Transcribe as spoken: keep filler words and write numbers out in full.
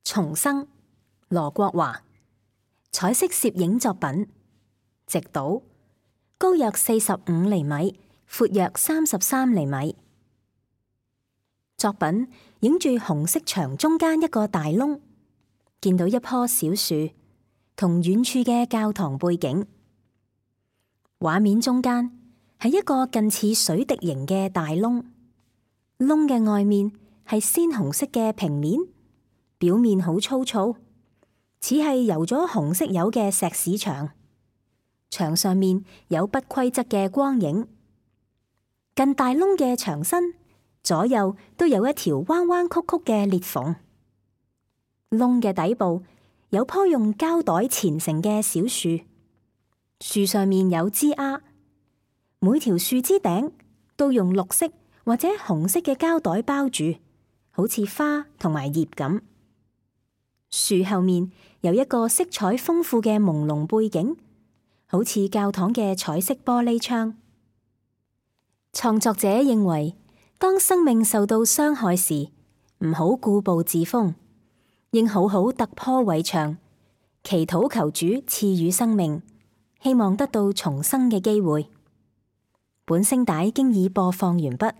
重生，羅國華，彩色攝影作品，直島，高約四十五厘米，闊約三十三厘米。作品影住紅色牆中間一個大窿，見到一棵小樹同遠處嘅教堂背景。畫面中間係一個近似水滴形嘅大窿，窿嘅外面係鮮紅色嘅平面，表面好粗糙，似係油咗紅色油嘅石屎牆。牆上面有不規則嘅光影。近大窿嘅牆身左右都有一條彎彎曲曲嘅裂縫。窿嘅底部有棵用膠袋纏成嘅小樹，樹上面有枝丫，每條樹枝頂都用綠色或者紅色嘅膠袋包住，好似花同埋葉咁。樹後面有一個色彩豐富嘅朦朧背景，好似教堂嘅彩色玻璃窗。創作者認為，當生命受到傷害時，唔好固步自封，應好好突破圍牆，祈禱求主賜予生命，希望得到重生嘅機會。本聲帶經已播放完畢。